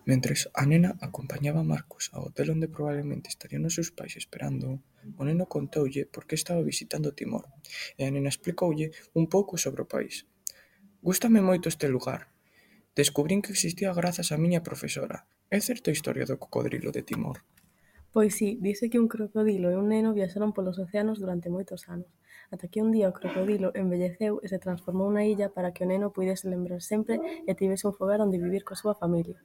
Mentres a nena acompañaba a Marcos ao hotel onde probablemente estarían os seus pais esperándoo, o neno contoulle por que estaba visitando Timor, e a nena explicoulle un pouco sobre o país. Gústame moito este lugar. Descubrín que existía grazas á miña profesora. É certa a historia do cocodrilo de Timor? Pois si, dise que un crocodilo e un neno viaxaron polos océanos durante moitos anos, ata que un día o crocodilo envelleceu e se transformou na illa para que o neno puidese lembrar sempre e tivese un fogar onde vivir coa súa familia.